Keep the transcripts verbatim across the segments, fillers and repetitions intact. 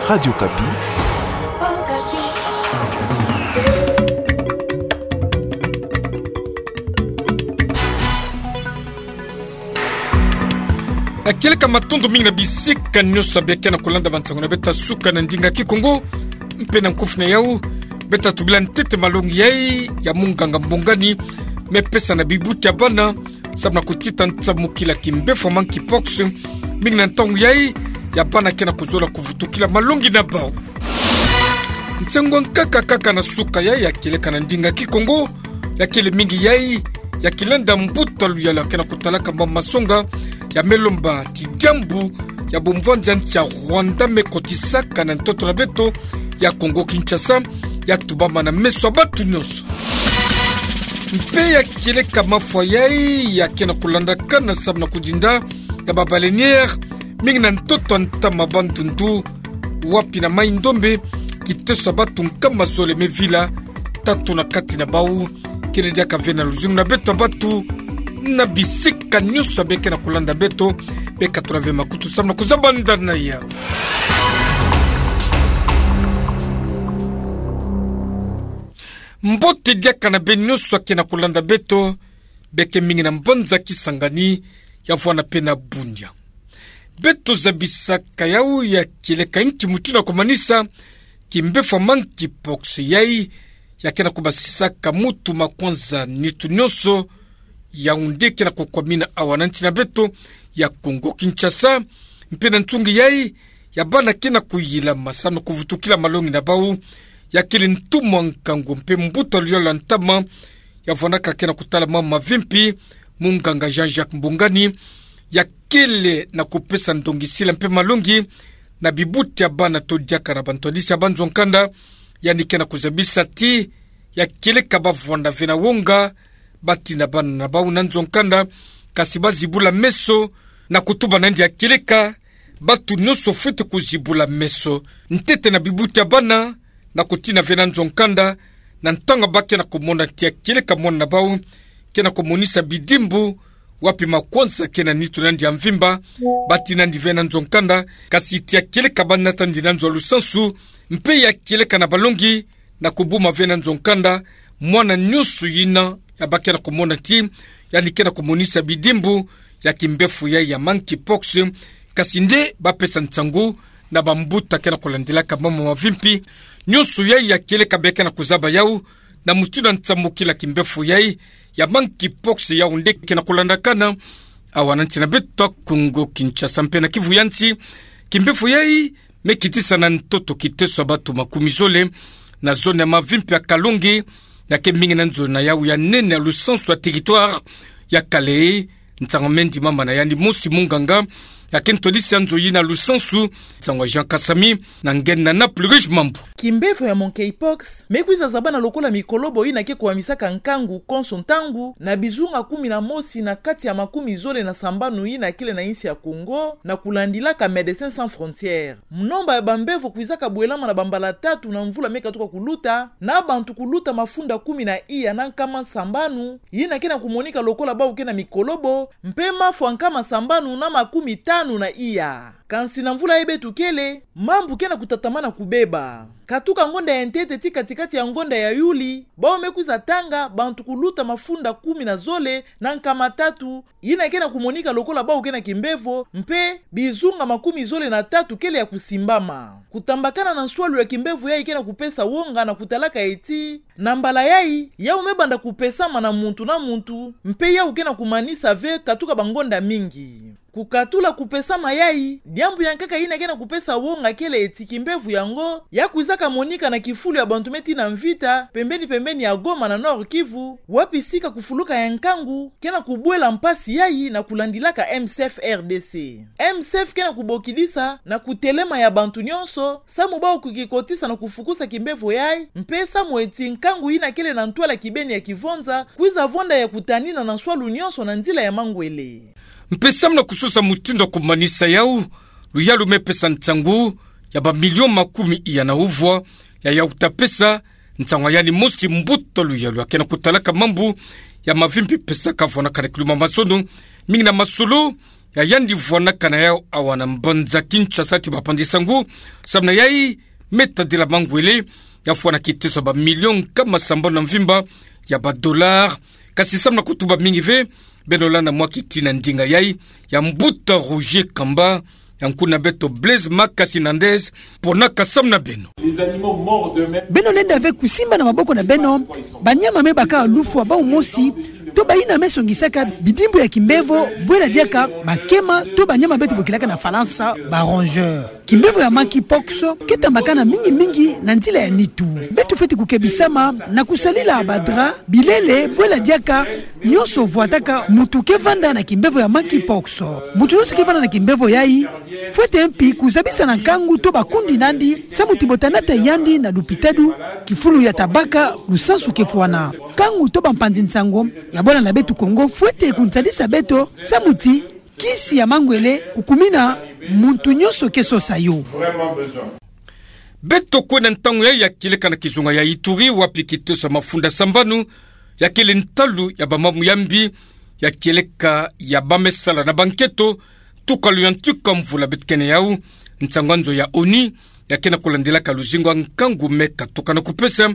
Radio Okapi. Kieleka matondo mingi na bisika nyonso bia kena kolanda bansango na beto ya suka na ndinga Kikongo. Mpe na nkufi na yau, beto tubila ntete malongi yai ya munganga mbongani me pesa na bibuti ya bana, samu na kutita nsamukila kimbefo ya monkeypox, mingi na ntangu yai ya bana kena kuzola kuvutukila malongi na bau. Nsengo nkaka kaka na suka yai ya kieleka na ndinga Kikongo, ya kele mingi yai ya kilenda mbuta luyalu ya kena kutalaka mama masonga, ya me lomba ti diambu ya bumvwandi ya nsi ya Rwanda me kotisaka na ntoto na beto ya Kongo Kinshasa, ya tubama na meso ya batu nyonso. Mpe ya kieleka mafwa yai ya kena kulandakana samu na kudinda ya ba baleinière, mingi na ntoto ya ntama Bandundu, wapi na Mai-Ndombe, kiteso ya batu nkama zole me vila, tatu na kati na bau kele diaka ve na luzingu na beto ya batu, na bisika nyonso bia kena kulanda beto. Beka tula ve makutu samu na kuzabanda na yau. Mbote diaka na beno nyonso ya kena kulanda beto, beke mingi na mbanza Kisangani, ya vwanda mpe na Bunia. Beto zabisaka yau ya kieleka nki mutindu ya kumanisa kimbefo ya monkeypox yai ya kena kubasisaka mutu, makwanza, nitu nyonso. Yaoundé kena kukwamina awa na nsi na beto ya Kongo Kinshasa, mpe na nsungi yai ya bana kena kuyilama samu na kuvutukila malongi na bau, ya kele ntumwa nkangu mpe mbuta luyalu ya ntama ya vwandaka kena kutala mama mavimpi, munganga Jean-Jacques Mbongani, ya kele na kupesa ndongisila mpe malongi na bibuti ya bana to diaka na bantwadisi ya banzo-nkanda. Yandi kena kuzabisa ti ya kieleka ba vwanda ve na wonga, batina bana na bau na nzo-nkanda, kasi ba zibula meso, na kutuba na yandi ya kieleka batu nyonso fwete kuzibula meso, ntete na bibuti ya bana, na kutina ve na nzo-nkanda, na ntangu ba kena kumona ti ya kieleka mwana na bau kena kumonisa bidimbu, wapi makwanza kena nitu na yandi ya mvimba, batina yandi ve na nzo-nkanda, kasi ti ya kieleka ba nata yandi na nzo ya lusansu, mpe ya kieleka na balongi, na kubuma ve na nzo-nkanda mwana nyonso yina ya ba kena kumona ti yandi kena kumonisa bidimbu ya kimbefo yai ya monkeypox, kasi nde ba pesa nsangu na bambuta kena kulandilaka mama mavimpi. Nyonso yai ya kieleka bia kena kuzaba yau na mutindu ya nsamukila kimbefo yai ya monkeypox, yaoundé kena kulandakana awa na nsi na beto ya Kongo Kinshasa mpe na Kivu ya nsi. Kimbefo yai me kitisa na ntoto kiteso ya batu makumi zole na zone ya mavimpi ya Kalonge, ya ke mingi na nzo na yau ya nene ya lusansu ya territoire ya Kalehe. Nsangu me ndimama na yandi mosi munganga ya ke ntwadisi ya nzo yina ya lusansu, nsangu ya Jean Kasami, na ngen na Naples Rouge Mambu. Kimbefo ya monkeypox me kwiza zabana lokola mikolobo yina ke kuhamisaka nkangu konso ntangu na bizunga kumi na mosi na kati ya makumi zole na sambanu yina kele na insi ya Kongo, na kulandilaka Médecins Sans Frontières. Munomba ya bambevo kwizaka bwelama na bambala tatu na mvula me katuka kuluta, na bantu kuluta mafunda kumi na iya na nkama sambanu yina kena kumonika lokola bau kena mikolobo, mpe mafwa nkama sambanu na makumi tanu na iya. Kansi na mvula yai beto kele, mambu kena kutatamana kubeba. Katuka ngonda ya ntete ti kati-kati ya ngonda ya Yuli, bau me kwiza tanga bantu kuluta mafunda kumi na zole na nkama tatu yina kena kumonika lokola bau kena kimbevo, mpe bizunga makumi zole na tatu kele ya kusimbama. Kutambakana na nswalu ya kimbevo yai kena kupesa wonga na kutalaka eti, na mbala yai, yau me banda kupesama na muntu na muntu, mpe yau kena kumanisa ve katuka bangonda mingi. Kukatula kupesama yai, diambu ya nkaka yina kena kupesa wonga kele eti kimbevo yango ya kwizaka monika na kifulu ya bantu me tina Mvita, pembeni-pembeni ya Goma na Nord-Kivu, wapi sika kufuluka ya nkangu kena kubwela mpasi yai na kulandilaka M S F R D C. M S F kena kubokidisa na kutelema ya bantu nyonso, samu bau kukikotisa na kufukusa kimbevo yai, mpe samu eti nkangu yina kele na ntwala kibeni ya kivonza kwiza vonda ya kutanina na nswalu nyonso na nzila ya mangwele. Mpe samu na kusosa mutindu ya kumanisa yau, luyalu me pesa nsangu ya bamilio makumi iya na uvwa ya yau ta pesa, nsangu ya yandi mosi mbuta luyalu ya kena kutalaka mambu ya mavimpi pesaka vwanakana kiluma masono, mingi na masolo ya yandi vwanakana yau awa na mbanza Kinshasa ti bapanzi sangu, samu na yai me tadila mangwele, ya fwana kiteso ya bamilio nkama sambanu na mvimba ya badollar. Kasi samu na kutuba mingi ve, beno landa mwa kiti na ndinga yai ya mbuta Roger Kamba, ya nkuna beto Blaise Makasi Nandez, ponaka samu na beno. Beno lenda ve kusimba na maboko na beno banyama me baka lufwa bau mosi, to bayina me songisaka bidimbu ya kimbevo, bwela diaka bakema, to banyama beto bokilaka na Falansa ba rongeurs. Kimbevo ya monkeypox ke tambakana mingi mingi na nzila ya nitu. Beto fweti kukebisama na kusalila badra, bilele, bwela diaka nyonso vwataka mutu ke vanda na kimbevo ya monkeypox. Mutu nyonso ke vanda na kimbevo yai fwete mpi kuzabisa na nkangu to bakundi nandi, samu ti bota nata yandi na lupitalu, kifulu ya tabaka lusansu ke fwana. Nkangu to bampanzi nsangu ya bwala na beto Kongo fwete kunsadisa beto, samu ti kisi ya mangwele kukumina muntu nyonso ke sosa yo. Beto kwenda ntangu yai ya kieleka na kizunga ya Ituri, wapi kiteso ya mafunda sambanu ya kele ntalu ya bamamu ya mbi, ya kieleka ya ba me sala na banketo, tukalu ya ntuka mvula beto kena yau. Nsangu ya nzo ya ONU ya kena kulandilaka luzingu ya nkangu me katuka na kupesa,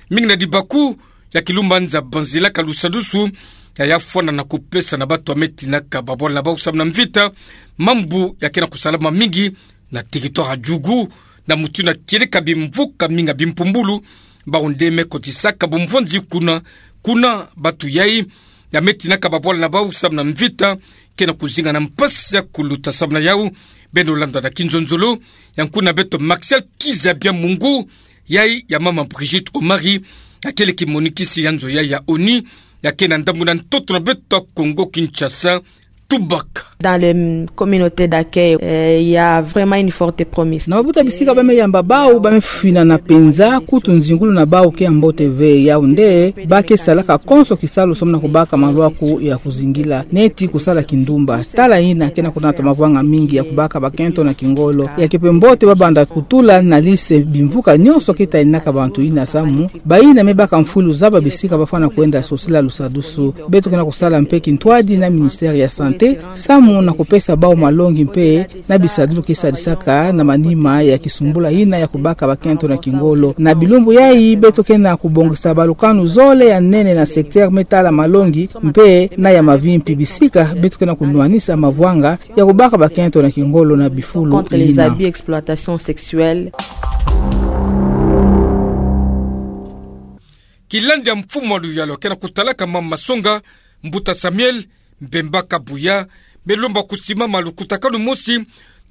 mingi na dibaku ya kilumbanza banzilaka lusadusu ya ya fwana na kupesa na bato ya me tinaka babwala na bau samu na mvita. Mambu ya kena kusalama mingi na territoire ya Djugu, na mutu na kieleka bimvuka mingi ya bimpumbulu, bau nde me kotisaka bumvonzi kuna, kuna bato yai ya me tinaka babwala na bau samu na mvita kena kuzinga na mpasi ya kuluta. Samu na yau, beno landa na kinzonzolo ya nkuna beto Maxial Kizabia Mungu, yai ya mama Brigitte Omari, ya kele kimonikisi ya nzo yai ya ONU, ya kena ndambu na ntoto na beto ya Kongo Kinshasa. Tubaka. Dans les, mm, communautés d'accueil, euh, il y a vraiment une forte promesse. Na mabuta bisika ba me yamba bau, ba me finana mpenza, kutu nzingulu na bau ke ya mbote ve, yau nde ba ke salaka konso kisalu samu na kubaka malwaku ya kuzingila, neti kusala kindumba. Tala yina kena kunata mavanga mingi ya kubaka bakento na kingolo. Ya ke mpe mbote ba banda kutula na liste bimvuka nyonso ke taninaka bantu yina samu bayina me baka mfwilu zaba bisika ba fwana kwenda sosila lusadusu. Beto kena kusala mpe kintwadi na ministère ya santé, samu na kupesa bau malongi mpe na bisadulu ke sadisaka na manima ya kisumbula yina ya kubaka bakento na kingolo. Na bilumbu yai, beto kena kubongisa balukanu zole ya nene na secteur me tala malongi mpe na ya mavimpi, bisika beto kena kunwanisa mavwanga ya kubaka bakento na kingolo na bifulu yina. Contre les abus, exploitation sexuelle. Kilandi ya mfumu wa luyalu kena kutalaka mama masonga, mbuta Samuel Mbemba Kabuya, me lomba kusimama lukutakanu mosi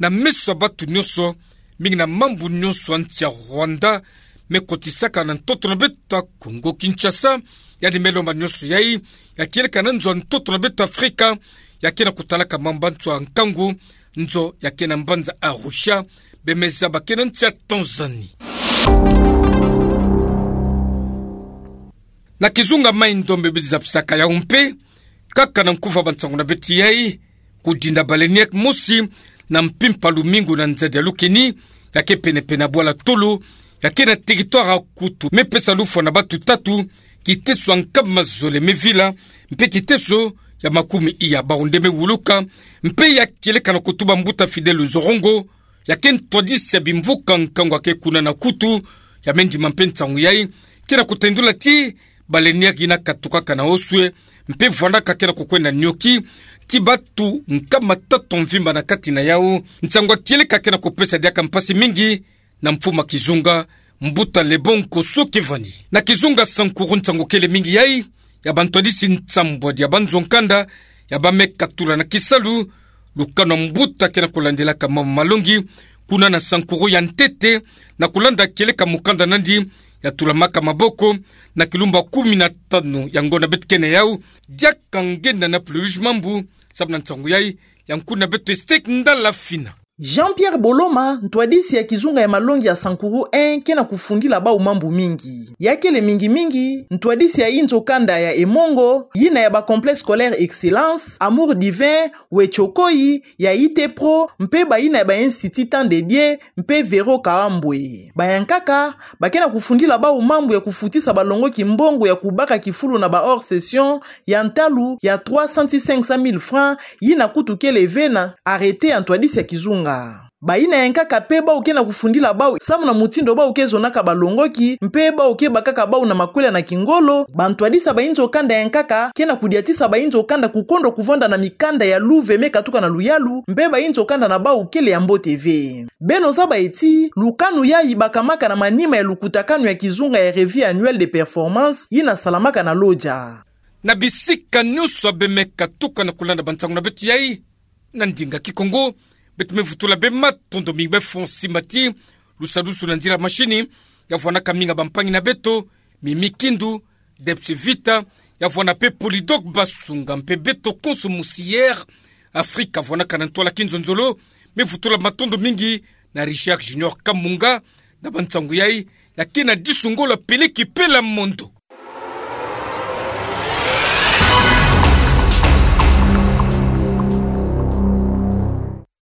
na meso ya bato nyonso, mingi na mambu nyonso ya nsi ya Rwanda me kotisaka na ntoto na beto ya Kongo Kinshasa. Yandi me lomba nyonso yai ya kieleka na nzo ya ntoto na beto Afrika, ya kena kutalaka mamba nzo ya nkangu, nzo ya kena mbanza Arusha, be me zaba kena nsi ya Tanzanie. Na kizunga Mai-Ndombe bidi zabisaka yau mpe, kaka na nkufa bansangu na beto yai, kudinda baleinière mosi na mpimpa lumingu na nzadi ya lukeni, ya ke pene-pene ya bwala tolo, ya ke na territoire ya Kutu, me pesa lufwa na bato tatu kiteso ya nkama zole me vila, mpe kiteso ya makumi iya, bau nde me wuluka. Mpe ya kieleka na kutuba mbuta Fidèle Nzorongo, ya ke ntwadisi ya bimvuka nkangu ya ke kuna na Kutu, ya me ndima mpe nsangu yai, kena kutendula ti baleinière yina katukaka na oswe, mpe vwandaka kena kukwenda nioki, ti bato nkama tatu mvimba na kati na yau. Nsangu ya kieleka kena kupesa diaka mpasi mingi na mfumu ya kizunga, mbuta Lebon Koso Kevani. Na kizunga Sankuru nsangu kele mingi yai, ya bantwadisi nsambwadi ya banzo nkanda, ya ba me katula na kisalu lukanu ya mbuta kena kulandilaka mama malongi, kuna na Sankuru ya ntete, na kulanda kieleka mukanda nandi ya tulamaka maboko, na kilumbu ya kumi na tanu ya ngonda beto kena yau, diaka nge na na puluj mambu, samu na nsangu yai, ya nkuna beto Estek Ndala Fina. Jean-Pierre Boloma, ntwadisi ya kizunga ya malongi ya Sankuru un, ke na kufundila bau mambu mingi. Ya kele mingi mingi ntwadisi ya inzo kanda ya Emongo, yina ya ba Complexe Scolaire Excellence, Amour Divin, Wetshokoi, ya Ite Pro, mpe bayina ya ba Institut Temps de Dieu, mpe Vero Kaambwe. Bayankaka ba ke na kufundila bau mambu ya kufutisa balongoki mbongo ya kubaka kifulu na ba hors-session ya ntalu ya trois cents ti cinq cent mille francs, yina kutu kele ve na arrêté ya ntwadisi ya kizunga. Bayina yankaka mpe bau ke na kufundila bau samu na mutindu bau ke zonaka balongoki, mpe bau ke bakaka bau na makwela na kingolo. Bantwadisi ya ba inzo kanda yankaka ke na kudiatisa ba inzo kanda kukondo kuvanda na mikanda ya luve me katuka na luyalu, mpe ba inzo kanda na bau kele ya mbote ve. Beno zaba ti lukanu yayi bakamaka na manima ya lukutakanu ya kizunga ya Revue Annuelle des Performances yina salamaka na Lodja. Na bisika nyonso abe me katuka na kulanda bansangu na beto yayi na ndinga Kikongo, beto me vutula beno matondo mingi bwe fundi mati, lusadusu na nzila mashini, ya vwanaka mingi bampangi na beto, Mimi Kindu, Debs Vita, ya vwana mpe Polydor Basunga, mpe beto konso musi Air Afrique vwanaka na ntwala kinzonzolo. Me vutula matondo mingi na Richard Junior Kamunga, na bansangu yayi, ya ke na disu ngolo peleki pela mondo.